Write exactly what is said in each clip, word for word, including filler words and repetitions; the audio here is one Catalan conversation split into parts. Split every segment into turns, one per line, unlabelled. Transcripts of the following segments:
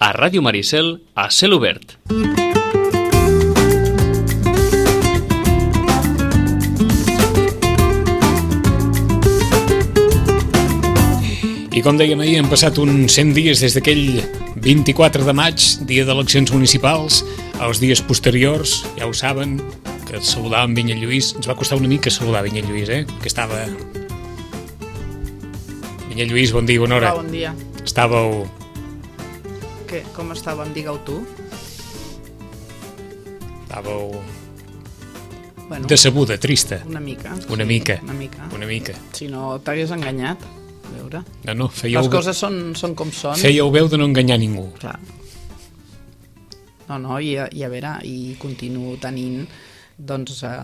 a Ràdio Maricel, a cel obert.
I com dèiem ahir, han passat uns cent dies des d'aquell vint-i-quatre de maig, dia d'eleccions municipals. Els dies posteriors, ja ho saben, que saludàvem Vinyet Lluís. Ens va costar una mica saludar Vinyet Lluís, eh? Que estava... Vinyet Lluís, bon dia, bona hora.
Bon dia.
Estàveu...
Què? Com estàvem? Digue-ho tu.
Estàveu...
Bueno,
decebuda, trista.
una mica.
Una
sí,
mica.
Una mica.
Una mica.
Si no t'hagués enganyat, a veure.
No, no, fèieu...
Les coses són, són com són.
Fèieu veu de no enganyar ningú.
Clar. No, no, i, i a veure, i continuo tenint doncs eh,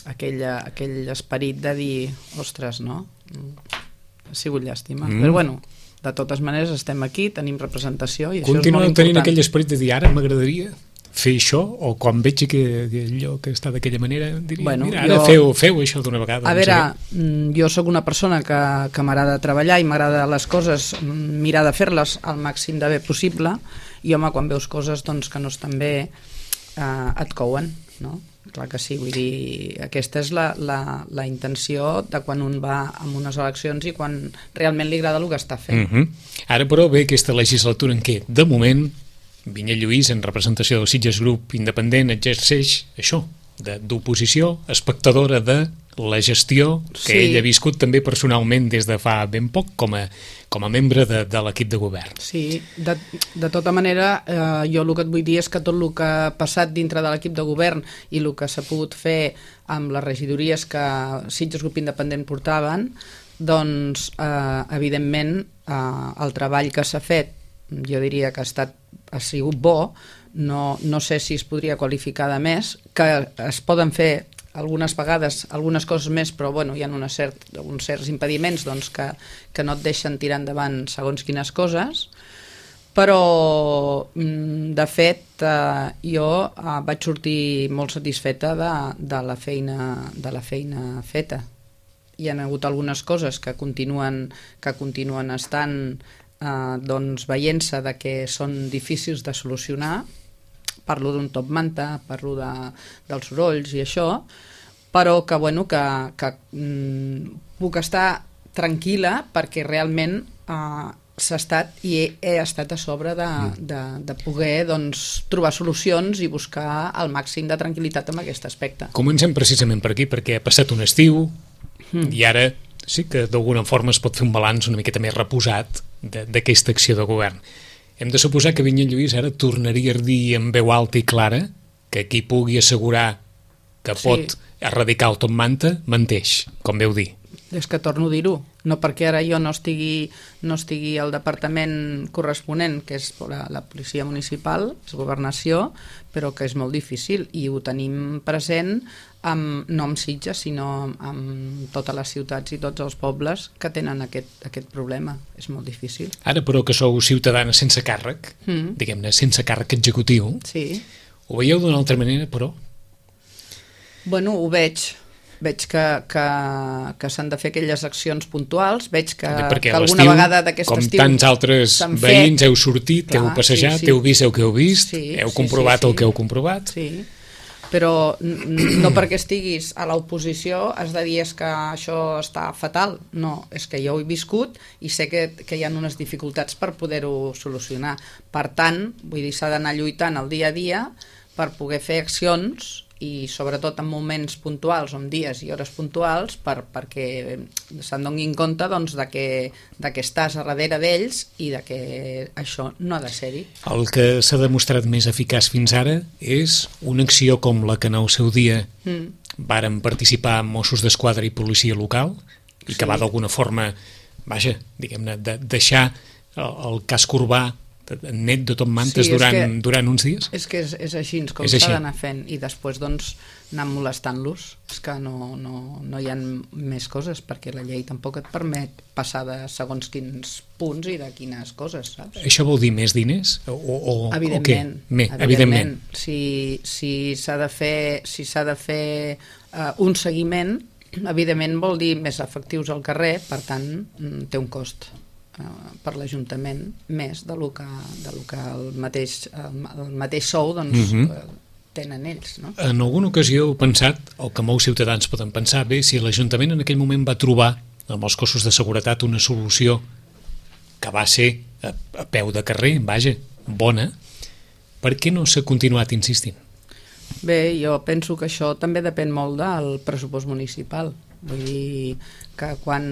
aquell, aquell esperit de dir, ostres, no? Ha sigut llàstima. Mm. Però bueno, de totes maneres estem aquí, tenim representació i això
Continueu
és molt important.
tenint aquell esperit de dir, ara m'agradaria fer això, o quan veig que, que allò que està d'aquella manera, diria,
bueno,
mira, ara
jo...
feu, feu això d'una vegada.
A
no
veure,
sé.
jo sóc una persona que, que m'agrada treballar i m'agrada les coses, mirar de fer-les al màxim de bé possible, i home, quan veus coses doncs, que no estan bé, eh, et couen, no? Clar que sí, vull dir, aquesta és la, la, la intenció de quan un va a unes eleccions i quan realment li agrada el que està fent.
Mm-hmm. Ara, però, ve aquesta legislatura en què, de moment, Vinyet Lluís, en representació del Sitges Grup Independent, exerceix això, d'oposició, espectadora de la gestió que
sí.
ell ha viscut també personalment des de fa ben poc com a, com a membre de, de l'equip de govern.
Sí, de, de tota manera, eh, jo el que et vull dir és que tot el que ha passat dintre de l'equip de govern i el que s'ha pogut fer amb les regidories que Sitges Grup Independent portaven, doncs, eh, evidentment, eh, el treball que s'ha fet, jo diria que ha estat ha sigut bo, no, no sé si es podria qualificar de més, que es poden fer algunes vegades algunes coses més, però bueno, hi ha una cert, uns certs impediments doncs, que, que no et deixen tirar endavant segons quines coses, però de fet eh, jo eh, vaig sortir molt satisfeta de, de, la feina, de la feina feta. Hi ha hagut algunes coses que continuen, que continuen estant Eh, doncs veient-se de que són difícils de solucionar. Parlo d'un top manta, parlo de, dels sorolls i això, però que, bueno, que, que mm, puc estar tranquil·la perquè realment eh, s'ha estat i he, he estat a sobre de, de, de poder doncs, trobar solucions i buscar el màxim de tranquil·litat en aquest aspecte.
Comencem precisament per aquí, perquè ha passat un estiu mm. i ara sí que d'alguna forma es pot fer un balanç una miqueta més reposat d'aquesta acció de govern. Hem de suposar que Vinyet Lluís ara tornaria a dir amb veu alta i clara que qui pugui assegurar que
sí.
pot erradicar el top manta, menteix, com veu dir.
És que torno a dir-ho, no perquè ara jo no estigui, no estigui al departament corresponent, que és la, la policia municipal, és governació, però que és molt difícil i ho tenim present amb, no amb Sitges, sinó amb totes les ciutats i tots els pobles que tenen aquest, aquest problema. És molt difícil.
Ara, però, que sou ciutadana sense càrrec, mm. diguem-ne, sense càrrec executiu,
sí.
Ho veieu d'una altra manera, però?
Bueno, ho veig. Veig que, que, que s'han de fer aquelles accions puntuals, veig que, que alguna vegada d'aquest estiu...
Com tants altres veïns heu sortit, clar, heu passejat, sí, sí. heu vist el que heu vist, sí, heu comprovat sí, sí, sí. el que heu comprovat.
Sí, però no perquè estiguis a l'oposició has de dir és que això està fatal. No, és que jo ho he viscut i sé que, que hi ha unes dificultats per poder-ho solucionar. Per tant, vull dir, s'ha d'anar lluitant el dia a dia per poder fer accions i sobretot en moments puntuals, en dies i hores puntuals, per, perquè se'n donin compte doncs, de, que, de que estàs a darrere d'ells i de que això no ha de ser-hi.
El que s'ha demostrat més eficaç fins ara és una acció com la que en el seu dia mm. varen participar Mossos d'Esquadra i policia local i que sí. va d'alguna forma, vaja, diguem-ne, de deixar el, el casc urbà net de top mantes sí, durant, que, durant uns dies?
És que és, és així com s'ha d'anar fent i després doncs anar molestant-los. És que no, no, no hi ha més coses perquè la llei tampoc et permet passar de segons quins punts i de quines coses, saps?
Això vol dir més diners? O, o,
evidentment.
O Me, evidentment. evidentment.
Si, si s'ha de fer, si s'ha de fer uh, un seguiment, evidentment vol dir més efectius al carrer, per tant té un cost. eh, per l'Ajuntament més de lo que, de lo que el, mateix, el, el mateix sou doncs, uh-huh. eh, tenen ells. No?
En alguna ocasió heu pensat, o que molts ciutadans poden pensar, bé, si l'Ajuntament en aquell moment va trobar amb els cossos de seguretat una solució que va ser a, a peu de carrer, vaja, bona, per què no s'ha continuat insistint?
Bé, jo penso que això també depèn molt del pressupost municipal. Vull dir que quan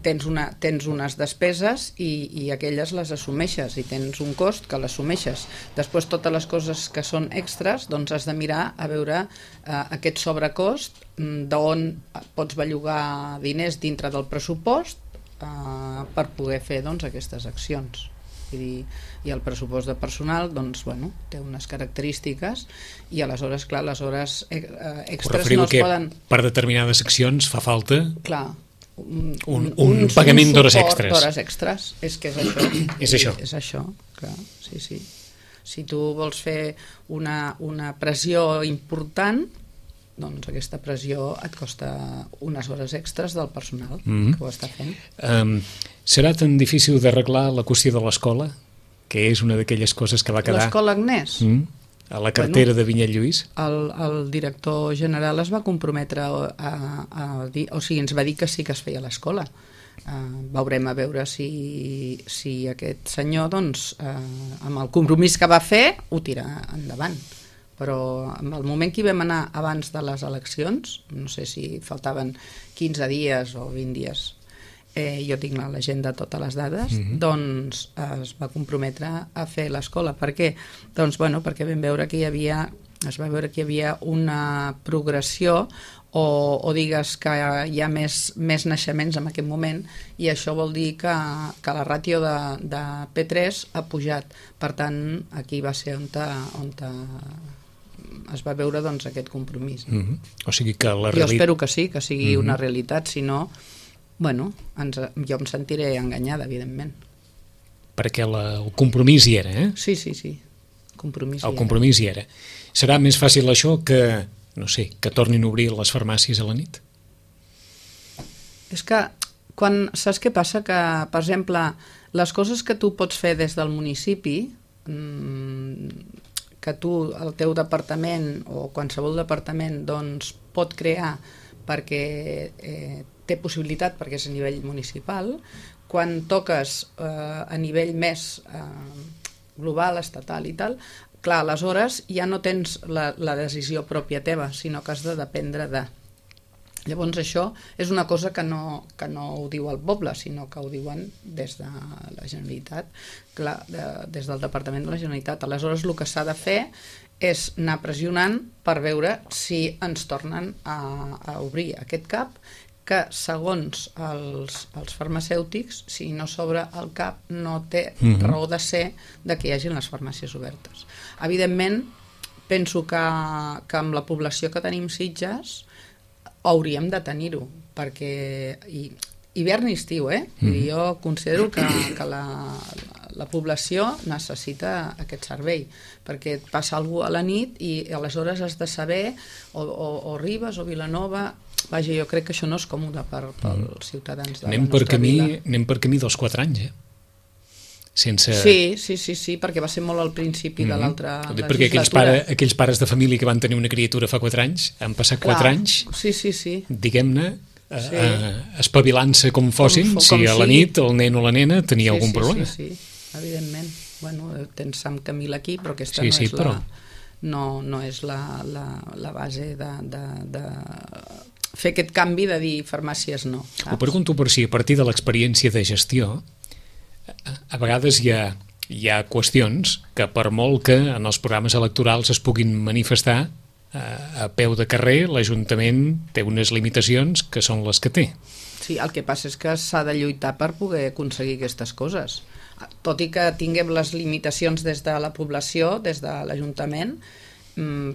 tens, una, tens unes despeses i, i aquelles les assumeixes i tens un cost que l'assumeixes. Després totes les coses que són extras doncs has de mirar a veure eh, aquest sobrecost d'on pots bellugar diners dintre del pressupost eh, per poder fer doncs, aquestes accions. Vull dir, i el pressupost de personal doncs, bueno, té unes característiques i aleshores, clar, les hores eh, extras no es poden...
Per determinades accions fa falta
clar, un,
un, un, un pagament d'hores extres.
d'hores extres, és que és això.
és això.
És això, clar, sí, sí. Si tu vols fer una, una pressió important, doncs aquesta pressió et costa unes hores extres del personal mm-hmm. que ho està fent. Um,
serà tan difícil d'arreglar la qüestió de l'escola, que és una d'aquelles coses que va quedar...
L'escola Agnès?
Mm, a la cartera bueno, de Vinyet Lluís?
El, el director general es va comprometre a, a, a dir, o sigui, ens va dir que sí que es feia l'escola. Uh, veurem a veure si, si aquest senyor, doncs, uh, amb el compromís que va fer, ho tira endavant. Però en el moment que hi vam anar abans de les eleccions, no sé si faltaven quinze dies o vint dies, eh, jo tinc a l'agenda totes les dades, mm-hmm. doncs es va comprometre a fer l'escola. Per què? Doncs, bueno, perquè vam veure que hi havia, es va veure que hi havia una progressió o, o digues que hi ha més, més naixements en aquest moment i això vol dir que, que la ràtio de, de P tres ha pujat. Per tant, aquí va ser on, ta, on ta, es va veure doncs, aquest compromís.
Mm-hmm. O sigui que la
reali... Jo espero que sí, que sigui mm-hmm. una realitat, si no, bueno, ens, jo em sentiré enganyada, evidentment.
Perquè la, el compromís hi era, eh?
Sí, sí, sí. Compromís
el compromís hi era. Serà més fàcil això que, no sé, que tornin a obrir les farmàcies a la nit?
És que, quan, saps què passa? Que, per exemple, les coses que tu pots fer des del municipi, mmm, que tu, el teu departament o qualsevol departament doncs, pot crear perquè eh, té possibilitat perquè és a nivell municipal, quan toques eh, a nivell més eh, global, estatal i tal, clar, aleshores ja no tens la, la decisió pròpia teva, sinó que has de dependre de. Llavors això és una cosa que no, que no ho diu el poble, sinó que ho diuen des de la Generalitat, clar, de, des del Departament de la Generalitat. Aleshores el que s'ha de fer és anar pressionant per veure si ens tornen a, a obrir aquest cap, que segons els, els farmacèutics, si no s'obre el cap no té mm-hmm. raó de ser de que hi hagin les farmàcies obertes. Evidentment, penso que, que amb la població que tenim Sitges hauríem de tenir-ho, perquè hi, hivern i estiu, eh? Mm. I jo considero que, que la, la població necessita aquest servei, perquè et passa alguna cosa a la nit i aleshores has de saber o, o, o Ribes o Vilanova. Vaja, jo crec que això no és còmode per, pels ciutadans de
anem
la nostra
per camí,
vila.
Anem per camí dels quatre anys, eh? Sense...
Sí, sí, sí, sí, perquè va ser molt al principi mm-hmm. de l'altra legislatura.
Perquè aquells, pare, aquells pares de família que van tenir una criatura fa quatre anys, han passat Clar, quatre anys,
sí, sí, sí.
diguem-ne, sí. eh, espavilant-se com fossin, com, com si a la nit el nen o la nena tenia
sí,
algun
sí,
problema.
Sí, sí, evidentment. Bueno, tens Sam Camil aquí, però aquesta
sí,
no,
sí,
és
però...
la, no, no és la, la, la base de, de, de fer aquest canvi de dir farmàcies no. Saps?
Ho pregunto per si a partir de l'experiència de gestió a vegades hi ha, hi ha qüestions que per molt que en els programes electorals es puguin manifestar a peu de carrer, l'Ajuntament té unes limitacions que són les que té.
Sí, el que passa és que s'ha de lluitar per poder aconseguir aquestes coses. Tot i que tinguem les limitacions des de la població, des de l'Ajuntament,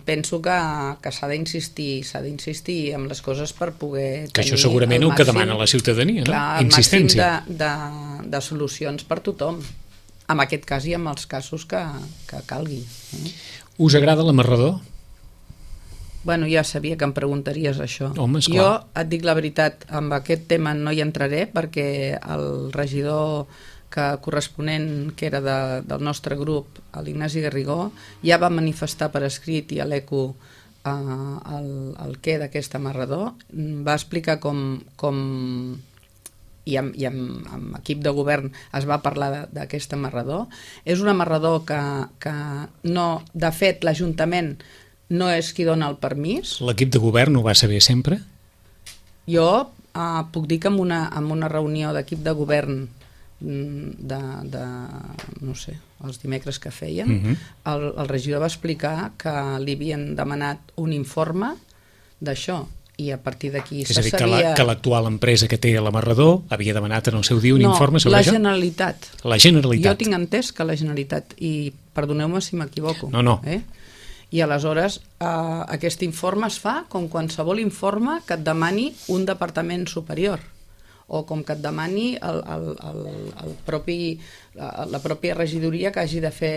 penso que, que s'ha d'insistir s'ha d'insistir en les coses per poder
que això segurament el, el que demana la ciutadania,
clar,
no? Insistència.
El màxim de, de, de solucions per tothom, en aquest cas i en els casos que, que calgui. Eh?
Us agrada l'amarrador?
Bueno, ja sabia que em preguntaries això.
Home, esclar.
Jo et dic la veritat, amb aquest tema no hi entraré perquè el regidor que corresponent, que era de, del nostre grup, l'Ignasi Garrigó, ja va manifestar per escrit i a l'ECO eh, el, el què d'aquest amarrador, va explicar com, com i, amb, i amb, amb equip de govern es va parlar d'aquest amarrador. És un amarrador que, que no, de fet l'Ajuntament no és qui dona el permís.
L'equip de govern ho va saber sempre?
Jo eh, puc dir que en una, en una reunió d'equip de govern de, de no sé, els dimecres que feien, uh-huh. el, el regidor va explicar que li havien demanat un informe d'això i a partir d'aquí se sabia... És a dir,
que l'actual empresa que té l'amarrador havia demanat en el seu dia un
no,
informe sobre
la
això?
No, la Generalitat.
La Generalitat.
Jo tinc entès que la Generalitat, i perdoneu-me si m'equivoco.
No, no.
Eh? I aleshores eh, aquest informe es fa com qualsevol informe que et demani un departament superior, o com que et demani el, el, el, el propi, la, la pròpia regidoria que hagi de fer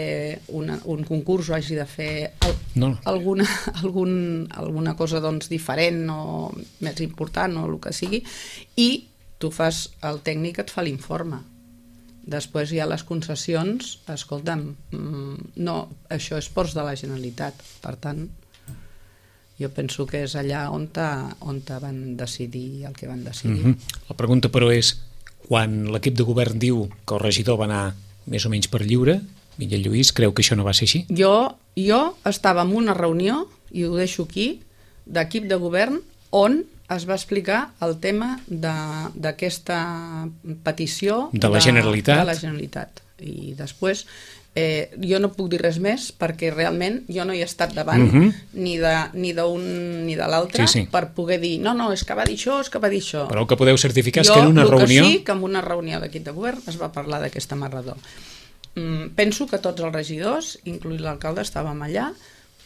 una, un concurs o hagi de fer el,
no.
alguna, algun, alguna cosa doncs, diferent o més important o el que sigui, i tu fas, el tècnic et fa l'informe. Després hi ha les concessions, escolta'm, no, això és ports de la Generalitat, per tant jo penso que és allà on, ta, on ta van decidir el que van decidir.
Mm-hmm. La pregunta, però, és quan l'equip de govern diu que el regidor va anar més o menys per lliure, Miquel Lluís, creu que això no va ser així?
Jo, jo estava en una reunió, i ho deixo aquí, d'equip de govern, on es va explicar el tema d'aquesta petició
de la Generalitat.
De la Generalitat. I després Eh, jo no puc dir res més perquè realment jo no hi he estat davant uh-huh. ni d'un ni de l'altre
sí, sí.
per poder dir, no, no, és que va dir això, és que va dir això.
Però el que podeu certificar
jo,
és que en una
reunió...
reunió...
Jo sí que en una reunió d'equip de govern es va parlar d'aquest amarrador. Mm, penso que tots els regidors, inclús l'alcalde, estàvem allà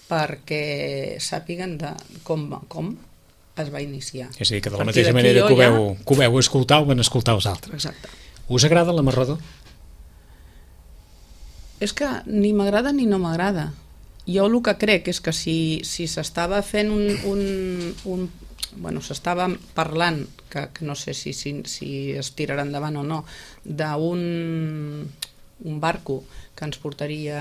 perquè sàpiguen de com, com es va iniciar.
És a dir, que de la mateixa manera que ho, veu, ja... que ho veu escoltar, ho van escoltar els altres.
Exacte.
Us agrada l'amarrador?
És que ni m'agrada ni no m'agrada. Jo el que crec és que si, si s'estava fent un... un, un bueno, s'estava parlant, que, que no sé si, si, si es tirarà endavant o no, d'un un barco que ens portaria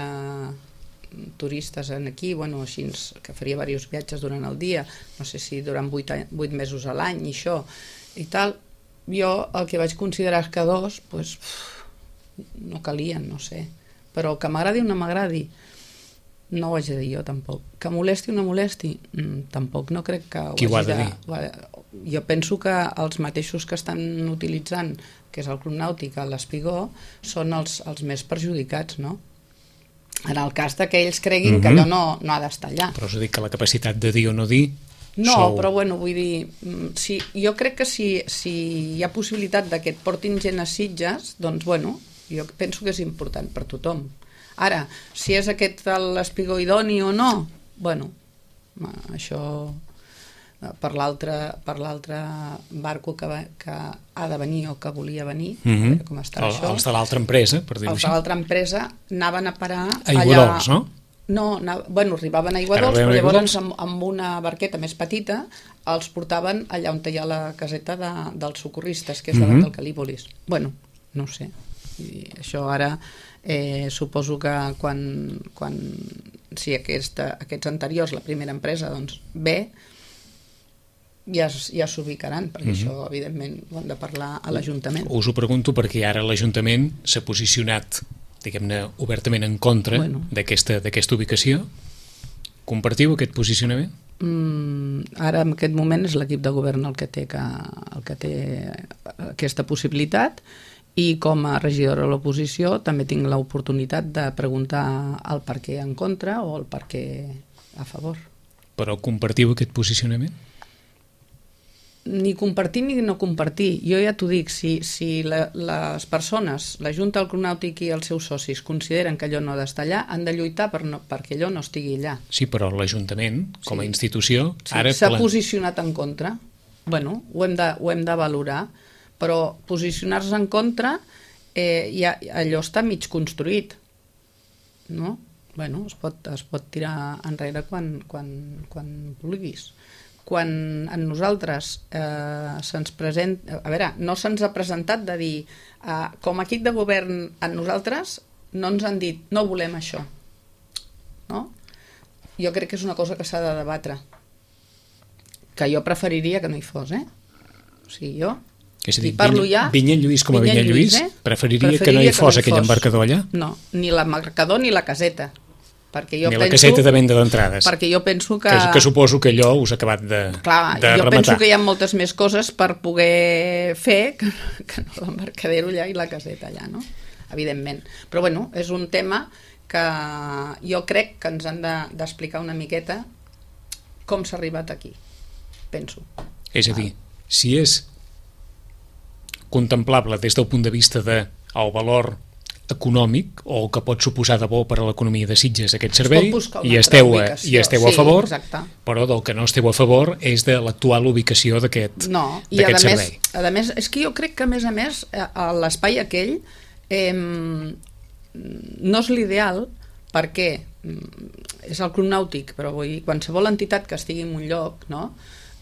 turistes en aquí, bueno, així, que faria diversos viatges durant el dia, no sé si durant vuit, vuit mesos a l'any i això, i tal, jo el que vaig considerar és que dos, pues, no calien, no sé. Però que m'agradi o no m'agradi, no ho haig de dir jo tampoc. Que molesti o no molesti, mm, tampoc no crec que ho
Qui ho ha
hagi
de
de...
dir?
Jo penso que els mateixos que estan utilitzant, que és el Club Nàutic, l'Espigó, són els, els més perjudicats, no? En el cas que ells creguin mm-hmm. que allò no, no ha d'estar allà.
Però us dic que la capacitat de dir o no dir...
No,
sou...
però bueno, vull dir, si, jo crec que si, si hi ha possibilitat que et portin gent a Sitges, doncs bueno, jo penso que és important per tothom. Ara, si és aquest l'espigó idoni o no, bueno, això per l'altre per l'altre barco que, va, que ha de venir o que volia venir,
mm-hmm.
com està
El,
això.
Els de l'altra empresa, per dir-ho
així. Els
així.
de l'altra empresa anaven a parar
a Aiguadols,
allà...
no?
No, anava, bueno, arribaven a Aiguadols, però llavors amb, amb una barqueta més petita els portaven allà on hi ha la caseta de, dels socorristes, que és davant mm-hmm. del Calípolis. Bueno, no ho sé. I això ara eh, suposo que quan, quan si aquesta, aquests anteriors, la primera empresa, doncs bé, ja, ja s'ubicaran, perquè mm-hmm. això evidentment ho han de parlar a l'Ajuntament.
Us ho pregunto perquè ara l'Ajuntament s'ha posicionat, diguem-ne, obertament en contra bueno. d'aquesta d'aquesta ubicació. Compartiu aquest posicionament?
Mm, ara en aquest moment és l'equip de govern el que té, que, el que té aquesta possibilitat, i com a regidora de l'oposició també tinc l'oportunitat de preguntar el per què en contra o el per què a favor.
Però compartiu aquest posicionament?
Ni compartir ni no compartir. Jo ja t'ho dic, si, si la, les persones, la Junta del Club Nàutic i els seus socis consideren que allò no ha d'estar allà, han de lluitar per no, perquè allò no estigui allà.
Sí, però l'Ajuntament, com a
sí.
institució...
Sí,
ara
s'ha
plan...
posicionat en contra. Bueno, ho hem de, ho hem de valorar, però posicionar-se en contra eh, ja, allò està mig construït, no? bueno, es pot, es pot tirar enrere quan, quan, quan vulguis. Quan a nosaltres eh, se'ns presenta... A veure, no se'ns ha presentat de dir eh, com a equip de govern a nosaltres no ens han dit no volem això. No? Jo crec que és una cosa que s'ha de debatre. Que jo preferiria que no hi fos, eh? O sigui, jo...
És a dir,
parlo ja...
Vinyet Lluís com a Vinyet Lluís, eh? preferiria, preferiria que no hi fos no hi aquell fos. embarcador allà?
No, ni l'embarcador ni la caseta. Perquè jo
ni
penso,
la caseta de venda d'entrades.
Perquè jo penso que...
que... Que suposo que allò us ha acabat de,
Clar,
de
jo
rematar.
penso que hi ha moltes més coses per poder fer que, que no l'embarcadero allà i la caseta allà, no? Evidentment. Però bueno, és un tema que jo crec que ens han d'explicar de, una miqueta com s'ha arribat aquí, penso.
És a dir, si és contemplable des del punt de vista del de, valor econòmic o que pot suposar de bo per a l'economia de Sitges aquest servei i esteu, a, i esteu a favor, sí, però del que no esteu a favor és de l'actual ubicació d'aquest
no, i a
servei.
Més, a més, és que jo crec que a més a més l'espai aquell eh, no és l'ideal perquè és el Club Nàutic, però vull dir, qualsevol entitat que estigui en un lloc, no?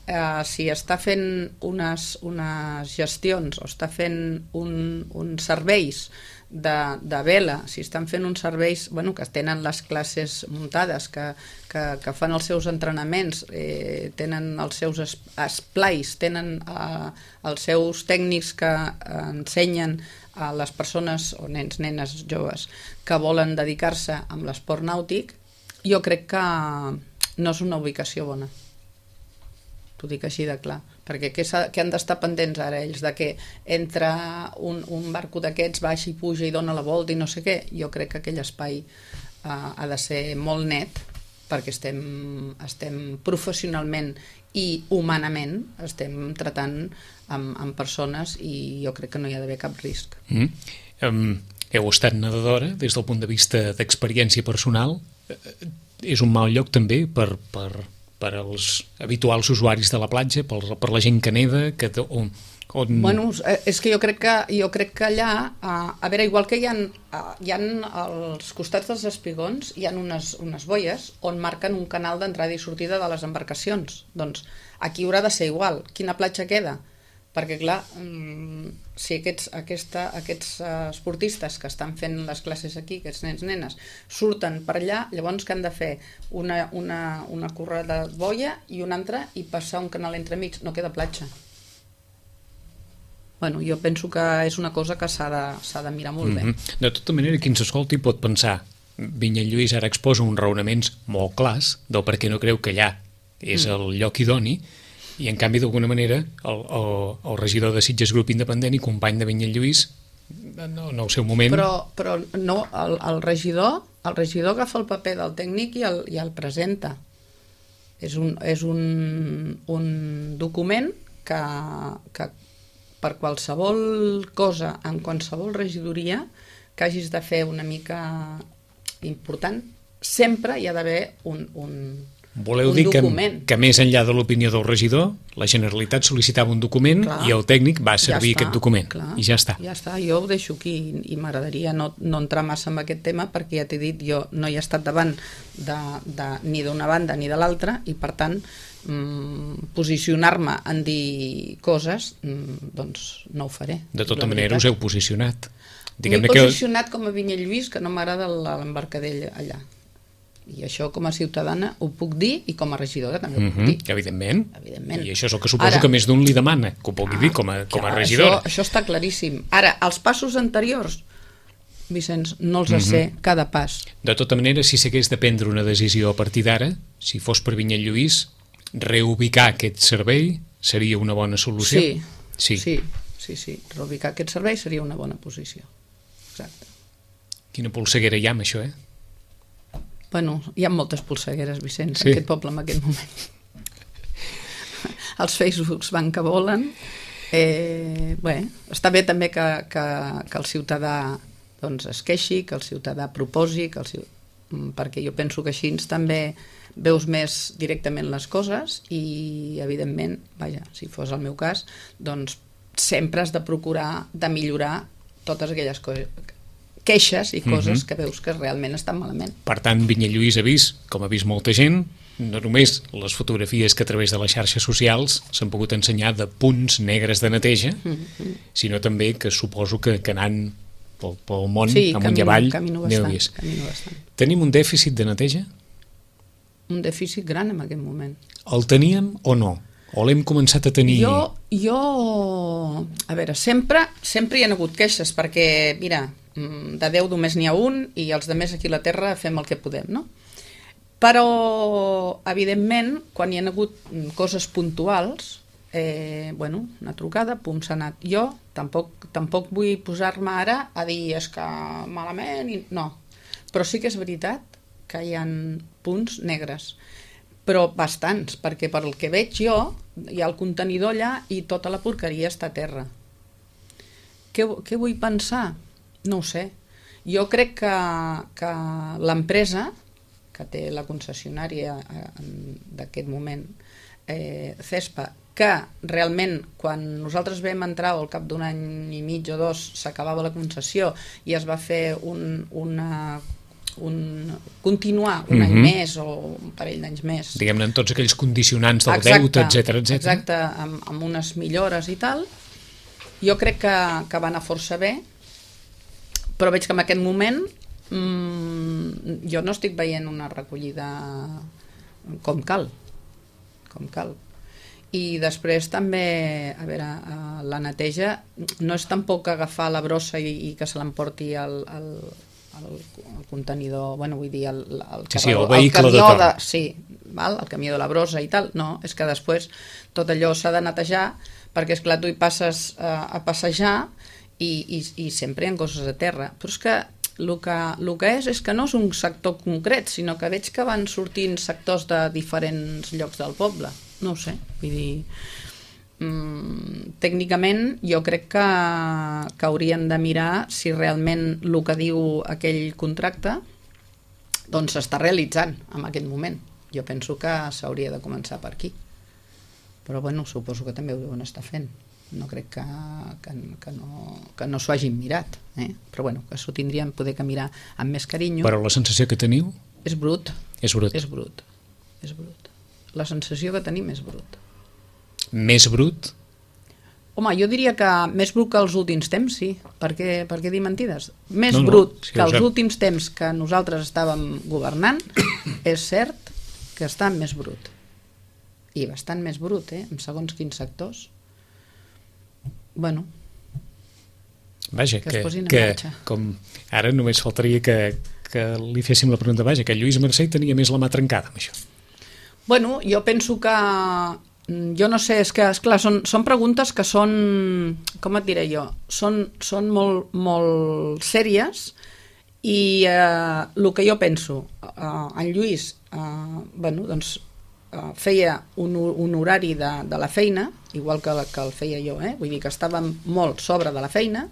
Uh, si està fent unes, unes gestions o està fent un, uns serveis de, de vela, si estan fent uns serveis bueno, que tenen les classes muntades, que, que, que fan els seus entrenaments, eh, tenen els seus es, esplais, tenen uh, els seus tècnics que uh, ensenyen a les persones o nens, nenes, joves que volen dedicar-se amb l'esport nàutic, jo crec que no és una ubicació bona. T'ho dic així de clar, perquè què, què han d'estar pendents ara ells, de que entre un, un barco d'aquests baixa i puja i dona la volta i no sé què? Jo crec que aquell espai uh, ha de ser molt net perquè estem, estem professionalment i humanament estem tratant amb, amb persones i jo crec que no hi ha d'haver cap risc.
Mm. Um, heu estat nedadora des del punt de vista d'experiència personal. És un mal lloc també per... per... per als habituals usuaris de la platja, per, per la gent que neda, que, on, on...
Bueno, és que jo crec que, jo crec que allà, a veure, igual que hi ha, hi ha als costats dels espigons, hi ha unes, unes boies on marquen un canal d'entrada i sortida de les embarcacions. Doncs aquí haurà de ser igual. Quina platja queda? Perquè, clar, si aquests, aquesta, aquests esportistes que estan fent les classes aquí, aquests nens, nenes, surten per allà, llavors que han de fer una, una, una corrada de boia i una altra i passar un canal entremig, no queda platja. Bueno, jo penso que és una cosa que s'ha de, s'ha de mirar molt mm-hmm. bé.
De tota manera, qui ens escolti pot pensar, Vinyet Lluís ara exposa uns raonaments molt clars del per què no creu que allà és mm. el lloc idoni, i en canvi d'alguna manera el, el, el regidor de Sitges Grup Independent i company de Vinyet Lluís no, no el seu moment
però, però no, el, el regidor el regidor agafa el paper del tècnic i el, i el presenta és un, és un, un document que, que per qualsevol cosa en qualsevol regidoria que hagis de fer una mica important sempre hi ha d'haver un, un
Voleu dir que, que més enllà de l'opinió del regidor, la Generalitat sol·licitava un document clar, i el tècnic va servir ja està, aquest document clar, i ja està.
Ja està, jo ho deixo aquí i m'agradaria no, no entrar massa en aquest tema perquè ja t'he dit, jo no hi he estat davant de, de, ni d'una banda ni de l'altra i per tant mmm, posicionar-me en dir coses mmm, doncs no ho faré.
De tota manera us heu posicionat.
M'he posicionat que... com a Vinyet Lluís que no m'agrada l'embarcadell allà. I això com a ciutadana ho puc dir i com a regidora també ho puc dir.
Mm-hmm, evidentment.
evidentment.
I això és el que suposo Ara, que més d'un li demana, que ho pugui ah, dir com a, com a regidora.
Això, això està claríssim. Ara, els passos anteriors, Vicenç, no els mm-hmm. sé cada pas.
De tota manera, si s'hagués de prendre una decisió a partir d'ara, si fos per Vinyet Lluís, reubicar aquest servei seria una bona solució?
Sí, sí, sí, sí, sí. Reubicar aquest servei seria una bona posició. Exacte.
Quina polseguera hi ha amb això, eh?
Bueno, hi ha moltes polsegueres, Vicenç,
sí.
en aquest poble en aquest moment. Els Facebooks van que volen. Eh, bé, està bé també que, que, que el ciutadà doncs, es queixi, que el ciutadà proposi, que el, perquè jo penso que així també veus més directament les coses i, evidentment, vaja, si fos el meu cas, doncs sempre has de procurar de millorar totes aquelles coses queixes i coses
uh-huh.
que veus que realment estan malament.
Per tant, Vinyalluís ha vist, com ha vist molta gent, no només les fotografies que a través de les xarxes socials s'han pogut ensenyar de punts negres de neteja, uh-huh. sinó també que suposo que, que anant pel, pel món,
sí,
amunt
camino,
i avall,
camino
n'heu
bastant,
vist.
camino bastant.
Tenim un dèficit de neteja?
Un dèficit gran en aquest moment.
El teníem o no? O l'hem començat a tenir...
Jo, jo... A veure, sempre, sempre hi ha hagut queixes, perquè, mira, de Déu només n'hi ha un i els de més aquí a la Terra fem el que podem, no? Però, evidentment, quan hi ha hagut coses puntuals, eh, bueno, una trucada, pum, s'ha anat. Jo tampoc, tampoc vull posar-me ara a dir és que malament... I... No, però sí que és veritat que hi ha punts negres, però bastants, perquè per el que veig jo hi ha el contenidor allà i tota la porqueria està a terra. Què, què vull pensar? No ho sé. Jo crec que, que l'empresa que té la concessionària d'aquest moment, eh, Cespa, que realment quan nosaltres vam entrar al cap d'un any i mig o dos s'acabava la concessió i es va fer un, una un, continuar un uh-huh. any més o un parell d'anys més.
Diguem-ne, en tots aquells condicionants del
exacte,
deute, etcètera, etcètera.
Exacte, amb, amb unes millores i tal. Jo crec que, que va anar força bé, però veig que en aquest moment mmm, jo no estic veient una recollida com cal. Com cal. I després també, a veure, la neteja no és tampoc agafar la brossa i, i que se l'emporti al... al El, el contenidor, bueno, vull dir el, el,
sí, sí, el,
el
vehicle
camió
de torn.
de, sí, val? El camió de la brossa i tal, no, és que després tot allò s'ha de netejar perquè esclar tu hi passes uh, a passejar i, i, i sempre hi ha coses a terra, però és que el que, el que és és que no és un sector concret, sinó que veig que van sortint sectors de diferents llocs del poble, no ho sé, vull dir Mm, tècnicament jo crec que, que haurien de mirar si realment el que diu aquell contracte doncs s'està realitzant en aquest moment. Jo penso que s'hauria de començar per aquí, però bueno, suposo que també ho deuen estar fent, no crec que, que, que no, que no s'ho hagin mirat, eh? Però bueno, que s'ho tindrien poder que mirar amb més carinyo.
Però la sensació que teniu?
És brut.
És brut.
És brut. És brut. La sensació que tenim és brut.
Més brut?
Home, jo diria que més brut que els últims temps, sí. Per què, per què dir mentides? Més
no, no,
brut
sí,
que els
sap.
últims temps que nosaltres estàvem governant, és cert que està més brut. I bastant més brut, eh? En segons quins sectors. Bueno,
vaja,
que,
que,
es posin en
que
marxa.
Com ara només faltaria que, que li féssim la pregunta, vaja, que Lluís Marcell tenia més la mà trencada amb això.
Bueno, jo penso que jo no sé, és que esclar, són, són preguntes que són, com et diré jo, són, són molt, molt sèries i eh, el que jo penso, eh, en Lluís eh, bueno, doncs, eh, feia un, un horari de, de la feina, igual que, que el feia jo, eh? Vull dir que estàvem molt sobre de la feina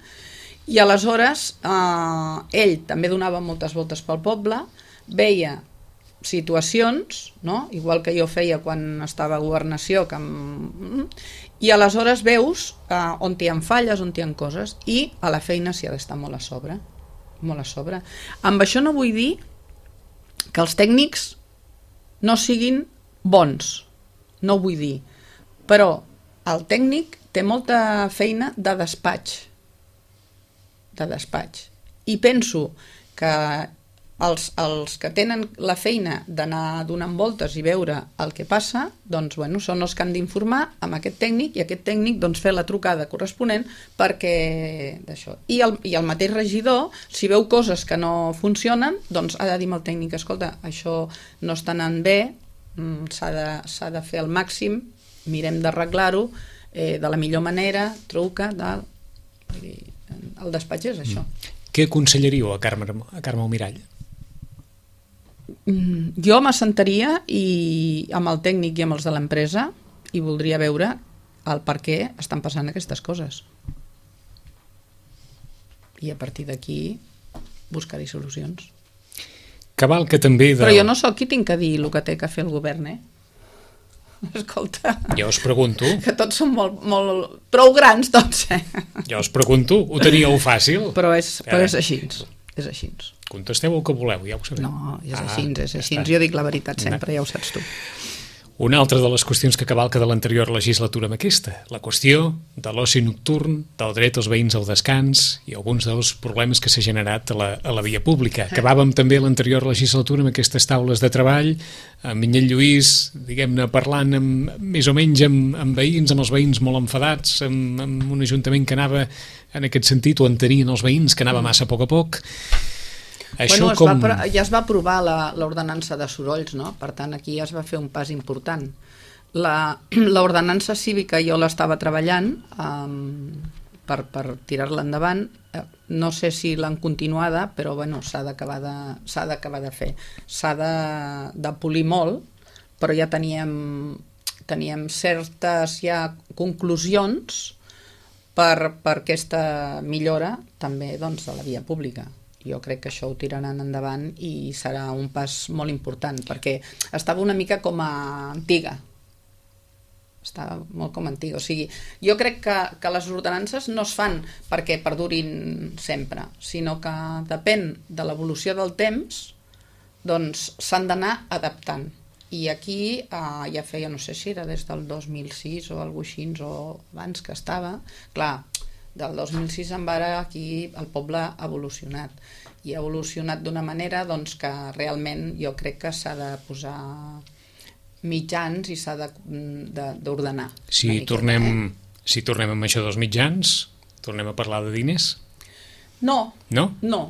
i aleshores eh, ell també donava moltes voltes pel poble, veia situacions, no? Igual que jo feia quan estava a governació, que em... i aleshores veus eh, on hi ha falles, on hi ha coses, i a la feina s'hi ha d'estar molt a sobre, molt a sobre. Amb això no vull dir que els tècnics no siguin bons, no ho vull dir, però el tècnic té molta feina de despatx, de despatx, i penso que Els, els que tenen la feina d'anar donant voltes i veure el que passa, doncs, bueno, són els que han d'informar amb aquest tècnic i aquest tècnic doncs, fer la trucada corresponent perquè d'això. I el, i el mateix regidor, si veu coses que no funcionen, doncs ha de dir al tècnic, escolta, això no està anant bé, s'ha de, s'ha de fer el màxim, mirem d'arreglar-ho eh, de la millor manera, truca, tal. El despatx és això.
Què aconsellaríeu a Carme, a Carme Almirall?
Jo m'assentaria i amb el tècnic i amb els de l'empresa i voldria veure el per què estan passant aquestes coses. I a partir d'aquí buscar-hi solucions.
Cabal que també... De...
Però jo no sóc qui tinc que dir el que té que fer el govern, eh? Escolta...
Jo us pregunto...
Que tots són molt, molt... prou grans, tots, eh?
Jo us pregunto, ho teníeu fàcil?
Però és, però és així. és així.
Contesteu el que voleu, ja ho sabeu.
No, és
ah,
així, és
ja
així.
està.
Jo dic la veritat sempre, ja ho saps tu.
Una altra de les qüestions que cavalca de l'anterior legislatura amb aquesta, la qüestió de l'oci nocturn, del dret als veïns al descans i alguns dels problemes que s'ha generat a la, a la via pública. Acabàvem també l'anterior legislatura amb aquestes taules de treball, amb Vinyet Lluís, diguem-ne, parlant amb, més o menys amb, amb veïns, amb els veïns molt enfadats, amb, amb un ajuntament que anava en aquest sentit, o entenien els veïns que anava massa a poc a poc.
Això bueno, es com... va, ja es va aprovar l'ordenança de sorolls, no? Per tant, aquí ja es va fer un pas important. L'ordenança cívica jo l'estava treballant um, per, per tirar-la endavant. No sé si l'han continuada, però bueno, s'ha d'acabar de, s'ha d'acabar de fer. S'ha de, de polir molt, però ja teníem, teníem certes ja conclusions per, per aquesta millora també doncs, de la via pública. Jo crec que això ho tiraran endavant i serà un pas molt important, perquè estava una mica com a antiga. Estava molt com a antiga. O sigui, jo crec que, que les ordenances no es fan perquè perdurin sempre, sinó que depèn de l'evolució del temps, doncs s'han d'anar adaptant. I aquí eh, ja feia, no sé si era des del dos mil sis o alguna cosa així, o abans que estava, clar, del dos mil sis en vara aquí el poble ha evolucionat i ha evolucionat d'una manera doncs, que realment jo crec que s'ha de posar mitjans i s'ha d'ordenar.
Si tornem, eh? si tornem amb això dels mitjans, tornem a parlar de diners?
No,
no,
no,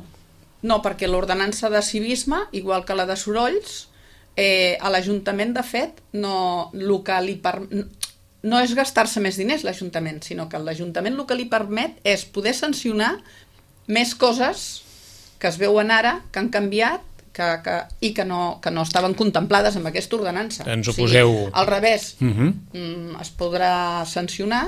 no perquè l'ordenança de civisme, igual que la de sorolls, eh, a l'Ajuntament de fet no, el que li permet no és gastar-se més diners l'Ajuntament, sinó que l'Ajuntament el que li permet és poder sancionar més coses que es veuen ara, que han canviat que, que, i que no, que no estaven contemplades amb aquesta ordenança.
Ens ho poseu...
O sigui, al revés,
uh-huh.
es podrà sancionar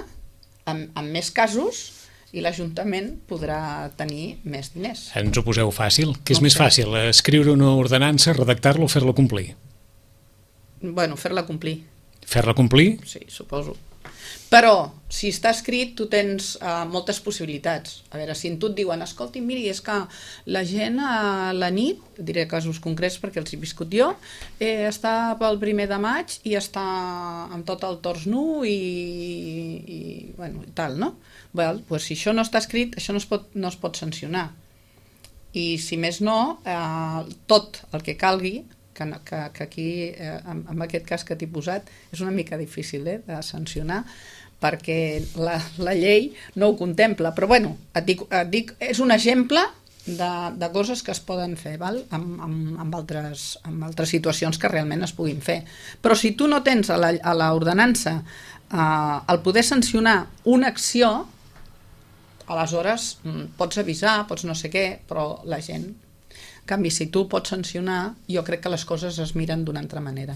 amb, amb més casos i l'Ajuntament podrà tenir més diners.
Ens ho poseu fàcil. Què és
no
més
sé.
fàcil, escriure una ordenança, redactar-la o fer-la complir?
Bueno, fer-la complir.
Fer-la complir?
Sí, suposo. Però, si està escrit, tu tens uh, moltes possibilitats. A veure, si tu et diuen, escolti, miri, és que la gent a la nit, diré casos concrets perquè els he viscut jo, eh, està pel primer de maig i està amb tot el tors nu i, i, bueno, i tal, no? Well, pues, si això no està escrit, això no es pot, no es pot sancionar. I si més no, eh, tot el que calgui, que, que, que aquí, eh, en, en aquest cas que t'he posat, és una mica difícil eh, de sancionar, perquè la, la llei no ho contempla. Però bueno, et dic, et dic, és un exemple de, de coses que es poden fer, val? Amb, amb, amb, altres, amb altres situacions que realment es puguin fer. Però si tu no tens a l'ordenança eh, el poder sancionar una acció, aleshores pots avisar, pots no sé què, però la gent... En canvi, si tu pots sancionar, jo crec que les coses es miren d'una altra manera.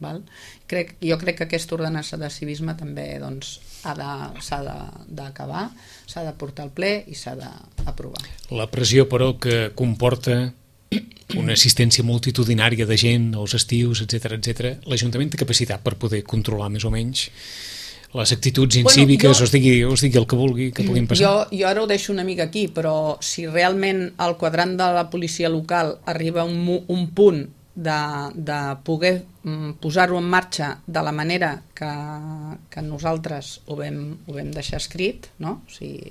Val? Crec, jo crec que aquesta ordenança de civisme també doncs, s'ha d'acabar, s'ha de portar al ple i s'ha d'aprovar.
La pressió, però, que comporta una assistència multitudinària de gent als estius, etcètera, etcètera, l'Ajuntament té capacitat per poder controlar més o menys les actituds incíviques, bueno, jo, us, digui, us digui el que vulgui que puguin passar.
Jo, jo ara ho deixo una mica aquí, però si realment el quadrant de la policia local arriba a un, un punt de, de poder posar-ho en marxa de la manera que, que nosaltres ho vam, ho vam deixar escrit, no? O sigui,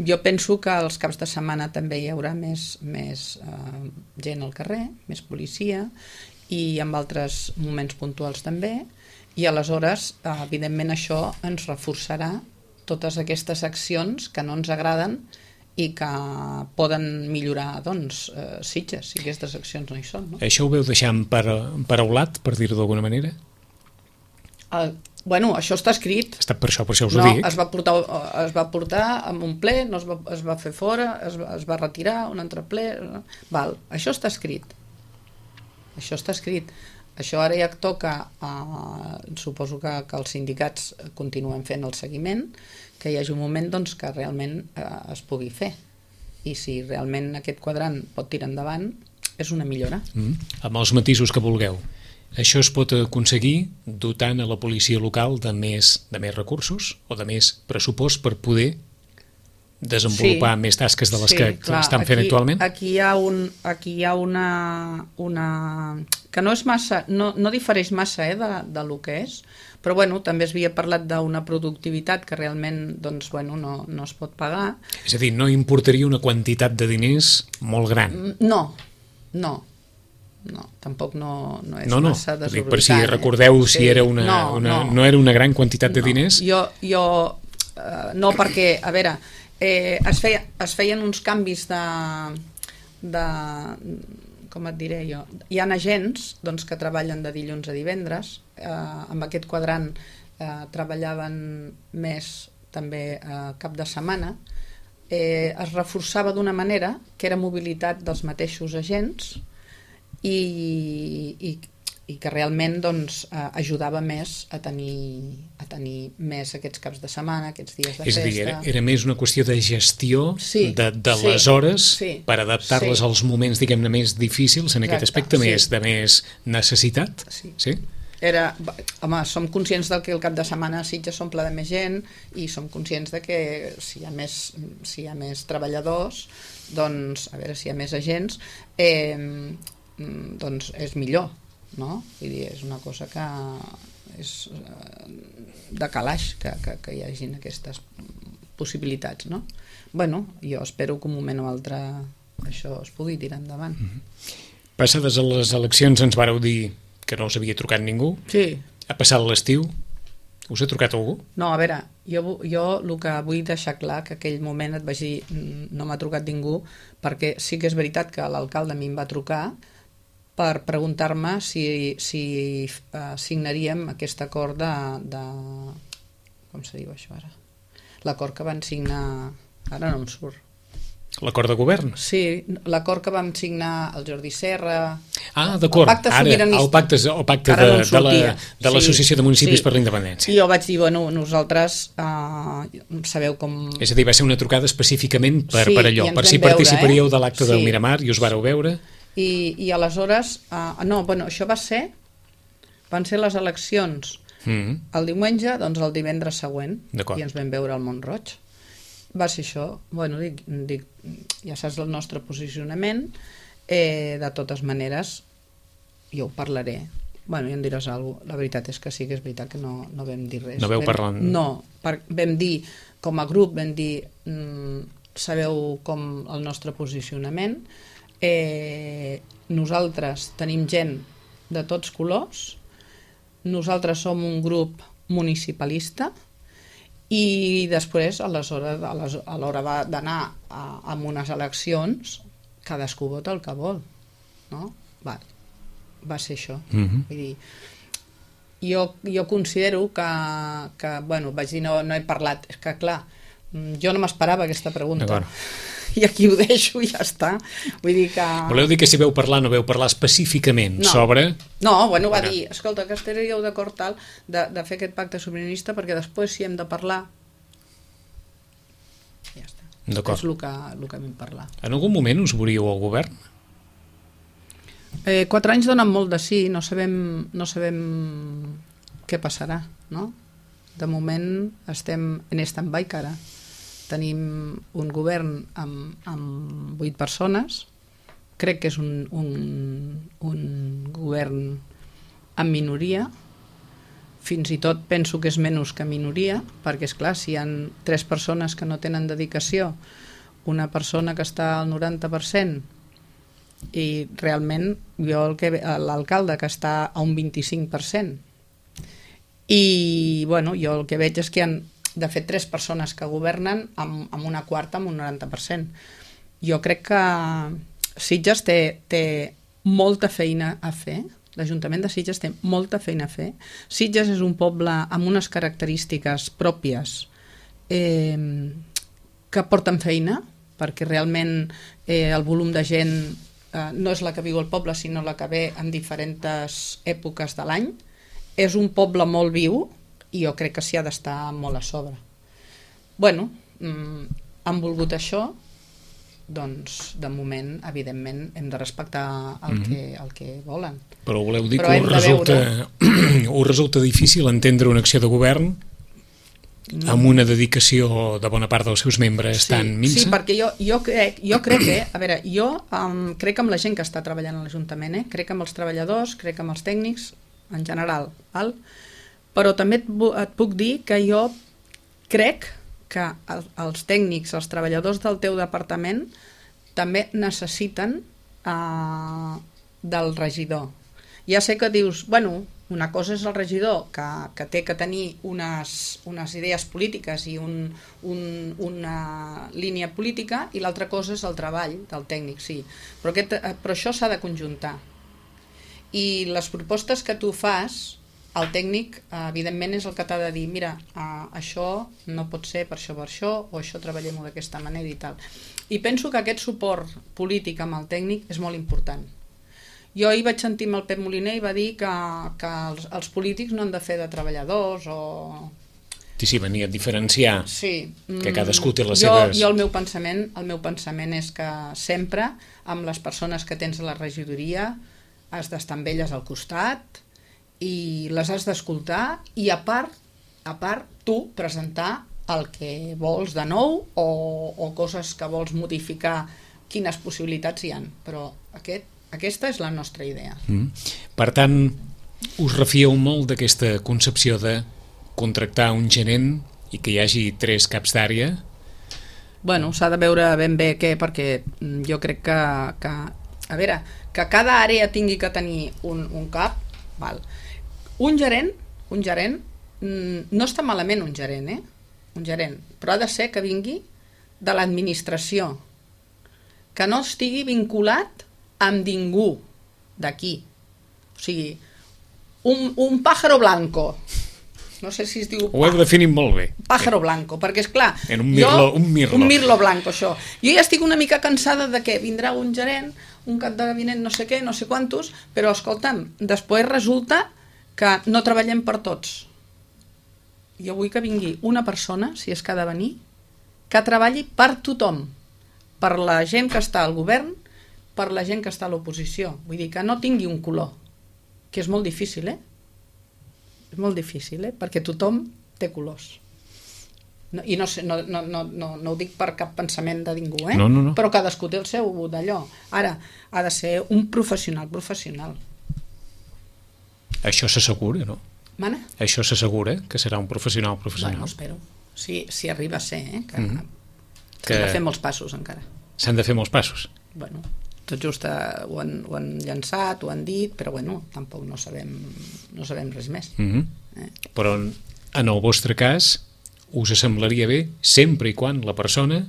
jo penso que els caps de setmana també hi haurà més, més eh, gent al carrer, més policia, i en altres moments puntuals també, i aleshores, evidentment, això ens reforçarà totes aquestes accions que no ens agraden i que poden millorar, doncs, eh, Sitges, si aquestes accions no hi són. No?
Això ho veu deixar emparaulat, per dir-ho d'alguna manera?
El, bueno, això està escrit.
Està per això, per això us
no,
ho dic.
Es va portar, es va portar en un ple, no es va, es va fer fora, es va, es va retirar un altre ple. Val, això està escrit. Això està escrit. Això ara ja toca, eh, suposo que, que els sindicats continuen fent el seguiment, que hi hagi un moment doncs, que realment eh, es pugui fer. I si realment aquest quadrant pot tirar endavant, és una millora.
Mm. Amb els matisos que vulgueu. Això es pot aconseguir dotant a la policia local de més, de més recursos o de més pressupost per poder desenvolupar sí, més tasques de les sí, que clar, estan fent
aquí,
actualment?
Aquí hi ha, un, aquí hi ha una, una... que no és massa, no, no difereix massa eh, de, de lo que és, però bueno, també es havia parlat d'una productivitat que realment doncs, bueno, no, no es pot pagar.
És a dir, no importaria una quantitat de diners molt gran?
No, no. No, tampoc no, no és
no, no.
massa desorbitant.
Per si recordeu
eh?
si
sí,
era una,
no,
una,
no.
no era una gran quantitat de
no.
diners?
Jo, jo eh, no, perquè, a veure, eh, es, feia, es feien uns canvis de, de, com et diré jo, hi ha agents doncs, que treballen de dilluns a divendres, eh, amb aquest quadrant eh, treballaven més també eh, cap de setmana, eh, es reforçava d'una manera que era mobilitat dels mateixos agents, I, i, i que realment doncs, eh, ajudava més a tenir, a tenir més aquests caps de setmana, aquests dies de
és
festa.
És a dir, era, era més una qüestió de gestió
sí,
de, de
sí,
les hores
sí,
per adaptar-les sí. als moments, diguem-ne, més difícils en Exacte, aquest aspecte, sí. més de més necessitat.
Sí.
sí?
Era, home, som conscients del que el cap de setmana a Sitges s'omple de més gent i som conscients de que si hi ha més, si hi ha més treballadors, doncs, a veure si hi ha més agents, eh, doncs és millor, no? Vull dir, és una cosa que és de calaix que, que, que hi hagin aquestes possibilitats, no? Bueno, jo espero que un moment o altre això es pugui tirar endavant.
Mm-hmm. Passades a les eleccions ens vareu dir que no us havia trucat ningú.
Sí.
Ha passat l'estiu. Us ha trucat algú?
No, a veure, jo, jo el que vull deixar clar que aquell moment et vaig dir no m'ha trucat ningú, perquè sí que és veritat que l'alcalde a mi em va trucar per preguntar-me si, si uh, signaríem aquest acord de, de... com se diu això ara? L'acord que van signar... Ara no em surt.
L'acord de govern?
Sí, l'acord que vam signar el Jordi Serra...
Ah, d'acord, ara, el pacte, el pacte de, no de, la, de l'Associació sí, de Municipis sí. per la Independència.
I jo vaig dir, bueno, nosaltres uh, sabeu com...
És a dir, va ser una trucada específicament per,
sí,
per allò, per si
veure,
participaríeu
eh?
de l'acte sí. del Miramar i us vareu veure...
I, i aleshores, uh, no, bueno, això va ser, van ser les eleccions mm. el diumenge, doncs el divendres següent, i ens vam veure al Mont-roig. Va ser això, bueno, dic, dic, ja saps el nostre posicionament, eh, de totes maneres, jo ho parlaré. Bueno, ja em diràs alguna cosa. La veritat és que sí que és veritat que no, no vam dir res.
No veu
vam,
parlant?
No, per, vam dir, com a grup, vam dir, mm, sabeu com el nostre posicionament, Eh, nosaltres tenim gent de tots colors, nosaltres som un grup municipalista i després a l'hora d'anar a, a unes eleccions cadascú vota el que vol, no? Va, va ser això. Mm-hmm. Vull dir, jo, jo considero que, que bueno, vaig dir no, no he parlat, és que clar, jo no m'esperava aquesta pregunta. I aquí ho deixo i ja està. Vull dir que...
Voleu dir que si veu parlar no veu parlar específicament
no.
sobre...
No, bueno, va dir, escolta, que estaríeu d'acord tal de, de fer aquest pacte sobiranista perquè després si hem de parlar ja està.
D'acord.
És el que, el que vam parlar.
En algun moment us veuríeu al govern?
Eh, quatre anys donen molt de sí, no sabem, no sabem què passarà, no? De moment estem en stand-by cara. Tenim un govern amb, amb vuit persones, crec que és un, un, un govern en minoria, fins i tot penso que és menys que minoria, perquè és clar, si hi ha tres persones que no tenen dedicació, una persona que està al noranta per cent i realment jo l'alcalde que està a un vint-i-cinc per cent i bueno, jo el que veig és que hi ha de fet tres persones que governen amb, amb una quarta amb un noranta per cent. Jo crec que Sitges té, té molta feina a fer, l'Ajuntament de Sitges té molta feina a fer. Sitges és un poble amb unes característiques pròpies eh, que porten feina, perquè realment eh, el volum de gent eh, no és la que viu al poble, sinó la que ve en diferents èpoques de l'any. És un poble molt viu, i jo crec que s'hi ha d'estar molt a sobre. Bueno, mm, han volgut això, doncs de moment, evidentment, hem de respectar el, mm-hmm. que, el que volen.
Però voleu dir
Però
que us resulta, veure... us resulta difícil entendre una acció de govern amb una dedicació de bona part dels seus membres
sí,
tan minsa?
Sí, perquè jo, jo, crec, jo crec que, a veure, jo um, crec amb la gent que està treballant a l'Ajuntament, eh? Crec amb els treballadors, crec amb els tècnics, en general, val? Però també et, et puc dir que jo crec que el, els tècnics, els treballadors del teu departament també necessiten uh, del regidor. Ja sé que dius, bueno, una cosa és el regidor que, que té que tenir unes, unes idees polítiques i un, un, una línia política, i l'altra cosa és el treball del tècnic, sí. Però, aquest, però això s'ha de conjuntar. I les propostes que tu fas, el tècnic, evidentment, és el que t'ha de dir, mira, uh, això no pot ser per això, per això, o això treballem-ho d'aquesta manera i tal. I penso que aquest suport polític amb el tècnic és molt important. Jo ahir vaig sentir amb el Pep Moliner i va dir que, que els, els polítics no han de fer de treballadors o...
Sí, sí, venia a diferenciar
sí.
que cadascú té les
jo,
seves...
Jo el meu pensament, el meu pensament és que sempre amb les persones que tens a la regidoria has d'estar amb elles al costat i les has d'escoltar i a part, a part tu presentar el que vols de nou o, o coses que vols modificar, quines possibilitats hi ha, però aquest Aquesta és la nostra idea.
Mm. Per tant, us refieu molt d'aquesta concepció de contractar un gerent i que hi hagi tres caps d'àrea?
Bueno, s'ha de veure ben bé què, perquè jo crec que, que a veure, que cada àrea tingui que tenir un, un cap, val. Un gerent, un gerent, no està malament un gerent, eh? Un gerent, però ha de ser que vingui de l'administració, que no estigui vinculat amb ningú d'aquí. O sigui, un, un pájaro blanco. No sé si es diu...
Ho heu definit molt bé.
Pájaro blanco, perquè és clar...
En un mirlo,
jo,
un mirlo.
Un mirlo blanco, això. Jo ja estic una mica cansada de que vindrà un gerent, un cap de gabinet, no sé què, no sé quantos, però escolta'm, després resulta que no treballem per tots. Jo vull que vingui una persona, si és que ha de venir, que treballi per tothom, per la gent que està al govern, per la gent que està a l'oposició. Vull dir que no tingui un color, que és molt difícil, eh? És molt difícil, eh? Perquè tothom té colors. No, I no, sé, no, no, no, no, no ho dic per cap pensament de ningú, eh?
No, no, no.
Però cadascú té el seu d'allò. Ara, ha de ser un professional, professional.
Això s'assegura, no?
Mana?
Això s'assegura, que serà un professional, professional.
Bueno, espero. Si, si arriba a ser, eh? Que,
mm-hmm.
que... S'han de fer molts passos, encara.
S'han de fer molts passos.
Bueno... tot just uh, ho, han, ho han llançat, ho han dit, però bueno, tampoc no sabem, no sabem res més.
Mm-hmm.
eh?
Però en, en el vostre cas us semblaria bé sempre i quan la persona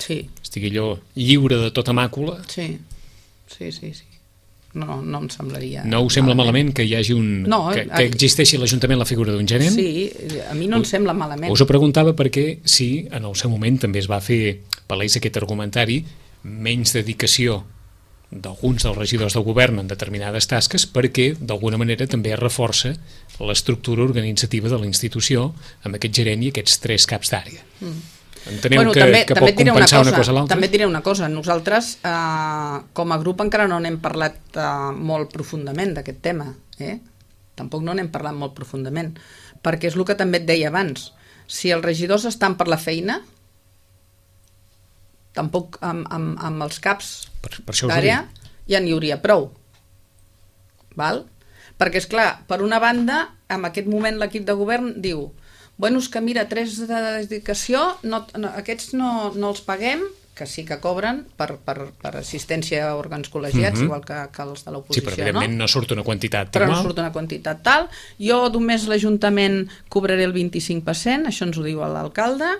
sí.
estigui allò lliure de tota màcula?
Sí, sí, sí, sí. No, no em semblaria...
No us sembla malament, malament que hi hagi un...
No,
que, que existeixi a l'Ajuntament la figura d'un gerent?
Sí, a mi no em sembla malament.
Us ho preguntava perquè sí, en el seu moment també es va fer palès aquest argumentari, menys dedicació d'alguns dels regidors del govern en determinades tasques perquè d'alguna manera també es reforça l'estructura organitzativa de la institució amb aquest gerent i aquests tres caps d'àrea. Mm. Enteneu bueno, que, també, que pot compensar una cosa, una cosa a l'altra?
També et diré una cosa, nosaltres eh, com a grup encara no n'hem parlat eh, molt profundament d'aquest tema, eh? Tampoc no n'hem parlat molt profundament, perquè és el que també et deia abans, si els regidors estan per la feina, tampoc amb, amb, amb els caps
per, per
d'àrea ja n'hi hauria prou. Val? Perquè, és clar, per una banda, en aquest moment l'equip de govern diu bueno, és que mira, tres de dedicació, no, no, aquests no, no els paguem, que sí que cobren per, per, per assistència a òrgans col·legiats, mm-hmm. igual que, que els de l'oposició,
sí, però evidentment no? no surt una quantitat
però
igual.
no surt una quantitat tal. Jo només l'Ajuntament cobraré el vint-i-cinc per cent, això ens ho diu l'alcalde,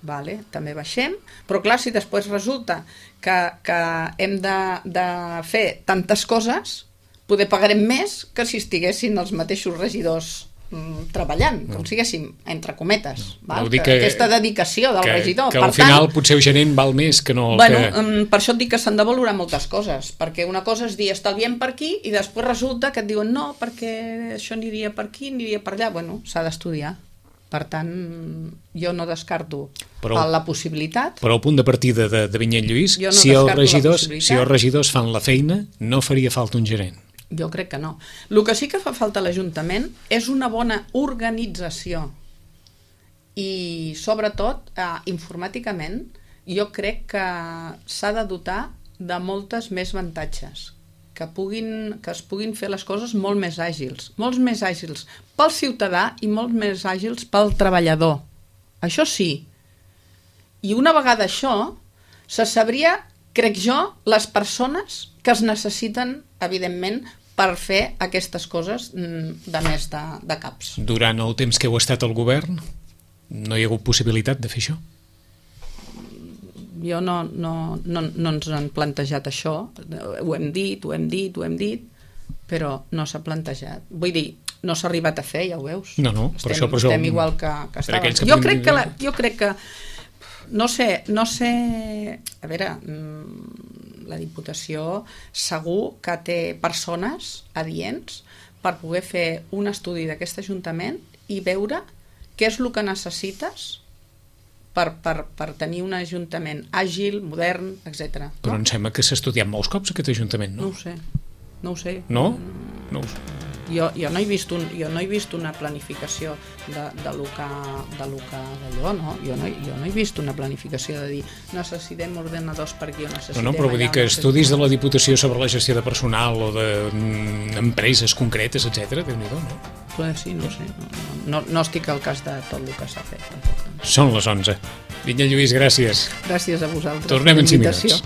vale, també baixem, però clar, si després resulta que, que hem de, de fer tantes coses, poder pagarem més que si estiguessin els mateixos regidors mm, treballant, com siguéssim, entre cometes, no. Val? Que, que, aquesta dedicació del
que,
regidor.
Que al
per
final
tant,
potser el gerent val més que no el
bueno,
que...
Per això et dic que s'han de valorar moltes coses, perquè una cosa és dir estalviem per aquí i després resulta que et diuen no, perquè això aniria per aquí, aniria per allà. Bueno, s'ha d'estudiar. Per tant, jo no descarto però, la possibilitat.
Però al punt de partida de, de Vinyet Lluís,
no
si, els regidors, si els regidors fan la feina, no faria falta un gerent.
Jo crec que no. El que sí que fa falta a l'Ajuntament és una bona organització i sobretot eh, informàticament jo crec que s'ha de dotar de moltes més avantatges, que, puguin, que es puguin fer les coses molt més àgils, molts més àgils pel ciutadà i molt més àgils pel treballador. Això sí. I una vegada això, se sabria, crec jo, les persones que es necessiten, evidentment, per fer aquestes coses de més de, de caps.
Durant el temps que heu estat al govern, no hi ha hagut possibilitat de fer això?
Jo no, no, no, no ens han plantejat això. Ho hem dit, ho hem dit, ho hem dit, però no s'ha plantejat. Vull dir, no s'ha arribat a fer, ja ho veus.
No, no,
estem,
per això... Per
estem
això,
igual que, que estàvem.
Que
jo, crec que la, jo crec que... No sé, no sé... A veure... La Diputació segur que té persones adients per poder fer un estudi d'aquest Ajuntament i veure què és el que necessites per, per, per tenir un Ajuntament àgil, modern, etcètera.
Però no? Em sembla que s'ha estudiat molts cops aquest Ajuntament, no?
No ho sé, no ho sé.
No? No ho sé.
Jo, jo, no he vist un, jo no he vist una planificació de, de lo que de lo que d'allò, no? Jo no, jo no he vist una planificació de dir necessitem ordenadors per aquí o necessitem...
No, no, però vull dir que estudis de la Diputació sobre la gestió de personal o d'empreses concretes, etcètera, Déu-n'hi-do, no?
Pues sí, no sé. No, no, no estic al cas de tot el que s'ha fet.
Són les onze. Vinya Lluís, gràcies.
Gràcies a vosaltres.
Tornem en cinc minuts.